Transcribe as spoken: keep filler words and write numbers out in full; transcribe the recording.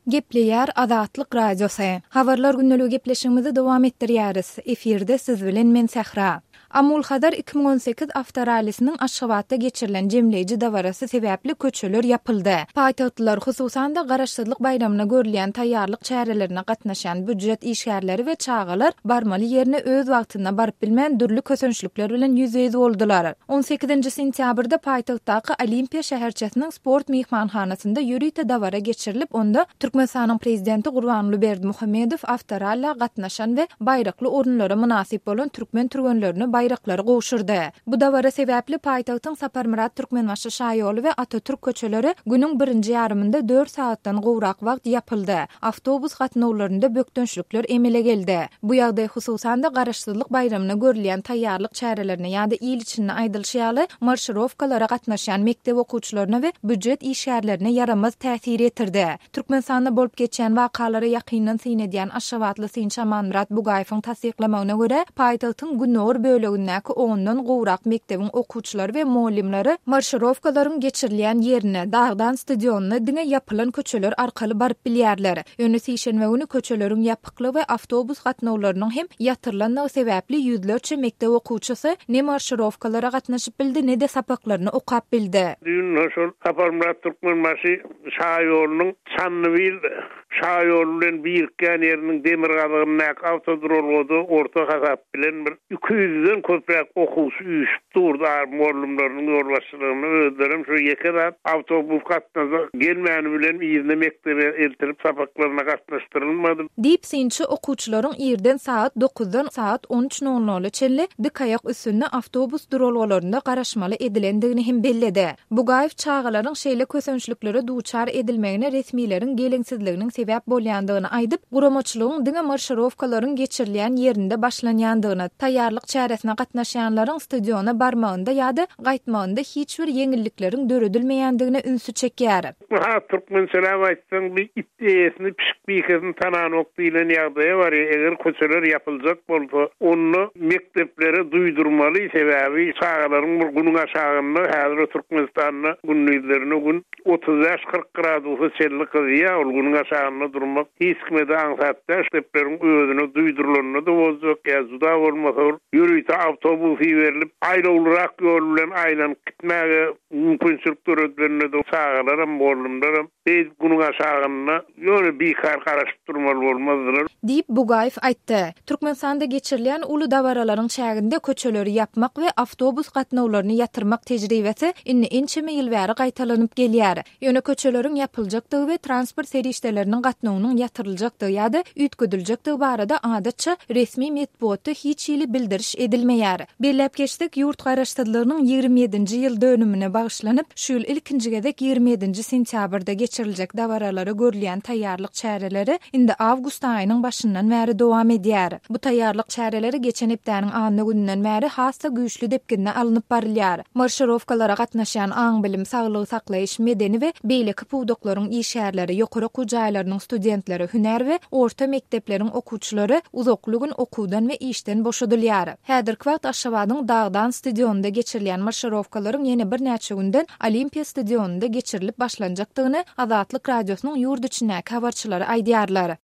Gepleýär Azatlyk Radiosy. Habarlar gündeligi gepleşigimizi dowam etdirýäris. Efirde siz bilen men Sähra. Amul Hazar iki müň on sekiz awtorallisiniň Aşgabatda geçirilen jemleýji dabarasy sebäpli köçeler ýapyldy. Paýtagtlylar, hususan-da Garaşsyzlyk baýramyna görülýän taýýarlyk çärelerine gatnaşýan býujet işgärleri we çagalar barmaly ýerine öz wagtynda baryp bilmän dürli kösençlikler bilen ýüzbe-ýüz boldular. On sekizinji sentýabrda paýtagtdaky Olimpiýa şäherçesiniň sport myhmanhanasynda ýörite dabara geçirilip, onda Türkmenistanyň Prezidenti Gurbanguly Berdimuhamedow awtoralla gatnaşan we baýrakly orunlara mynasyp bolan türkmen türgenlerine baýraklary gowşurdy. Bu dabara sebäpli paýtagtyň Saparmyrat Türkmenbaşy şaýoly we Atatürk köçeleri günüň birinji ýarymynda dört sagatdan gowrak wagt ýapyldy. Awtobus gatnawlarynda bökdençlikler emele geldi. Bu ýagdaý hususan-da Garaşsyzlyk baýramyna görülýän taýýarlyk çärelerine ýa-da il içinde aýdylyşy ýaly marşirowkalara gatnaşýan mekdep okuwçylaryna we býujet işgärlerine ýaramaz täsir ýetirdi. Türkmenistanda bolup geçýän wakalara ýakyndan syn edýän aşgabatly synçy Amanmyrat Bugaýewiň tassyklamagyna görä, paýtagtyň gündogar bölegindäki ondan gowrak mekdebiň okuwçylary we mugallymlary marşirowkalaryň geçirilýän ýerine, Dagdan stadionyna diňe ýapylan köçeler arkaly baryp bilýärler. Ýöne sişenbe güni köçeleriň ýapyklygy we awtobus gatnawlarynyň hem ýatyrylandygy sebäpli ýüzlerçe mekdep okuwçysy ne marşirowkalara gatnaşyp bildi, ne-de sapaklaryny okap bildi. Düýn şol Saparmyrat Türkmenbaşy şaýolunyň Çandybil şaýoly bilen birikýän ýeriniň demirgazygyndaky awtoduralgada orta hasap bilen bir iki ýüzden köpräk okuwçy üýşüp durdy. Mugallymlarynyň ýolbaşçylygynda özlerem şu ýeke zat awtobus gatnaza gelmäni bilen yzyna mekdebe eltirip sapaklaryna gatnaşdyrylmady. Diýip synçy okuwçylaryň irden sagat dokuzdan sagat on üç nol nola çenli dik aýak üstünde awtobus duralgalarynda garaşmaly edilendigini hem belledi. Bugaýew çagalaryň şeýle kösençliklere duçar edilmegine resmileriň geleňsizliginiň sebäp bolýandygyny aýdyp, guramaçylygyň diňe marşirowkalaryň geçirilýän ýerinde başlanýandygyny, taýýarlyk çäresine gatnaşýanlaryň stadiona barmagynda ýa-da gaýtmagynda hiç bir ýeňillikleriň döredilmeýändigine ünsi çekýär. Ha, türkmençeläp aýtsaň, bir it eýesini, pişik bikesini tananok diýlen ýagdaýa bar. Eger köçeler ýapyljak bolsa, onda mekdeplere duýdurmaly, sebäbi çagalaryň bir günüň aşagynda häzir Türkmenistanda gündizlerine gün otuz bäş kyrk gradusa çenli gyzýar, ol günüň aşagynda durmak hiç kime de aňsat däl. Mekdepleriň özüne duýdurylanda da boljak, ýa juda bolmasa ýörite awtobus berilip, aýlawlyrak ýol bilen aýlanyp gitmäge mümkinçilik döredilende de çagalaram, mugallymlaram beýik günüň aşagynda ýöne bikar garaşyp durmaly bolmazdylar. Diýip Bugaýew aýtdy. Türkmenistanda geçirilýän uly dabaralaryň çäginde köçeleri ýapmak we awtobus gatnawlaryny ýatyrmak tejribesi indi ençeme ýyl bäri gaýtalanyp gelýär. Ýöne köçeleriň ýapyljakdygy we transport serişdeleriniň gatnawynyň ýatyryljakdygy ýa-da üýtgediljekdigi barada adatça resmi metbugatda hiç hili bildiriş edilmeýär. Belläp geçsek, ýurt garaşsyzlygynyň ýigrimi ýedinji ýyl dönümine bagyşlanyp, şu ýyl ilkinji gezek ýigrimi ýedinji sentýabrda geçiriljek dabaralara görülýän taýýarlyk çäreleri indi awgust aýynyň başyndan bäri dowam edýär. Bu taýýarlyk çäreleri geçen hepdäniň anna gününden bäri has-da güýçli depginde alnyp barylýar. Marşirowkalara gatnaşýan aň-bilim, saglygy saklaýyş, medeni we beýleki pudaklaryň işgärleri, ýokary okuw jaýlarynyň studentleri, hünär we orta mekdepleriň okuwçylary uzakly gün okuwdan we işden boşadylýar. Häzirki wagt Aşgabadyň Dagdan stadionynda geçirilýän marşirowkalaryň ýene birnäçe günden Olimpiýa stadionynda geçirilip başlanjakdygyny Azatlyk Radiosynyň ýurt içindäki habarçylary aýdýarlar.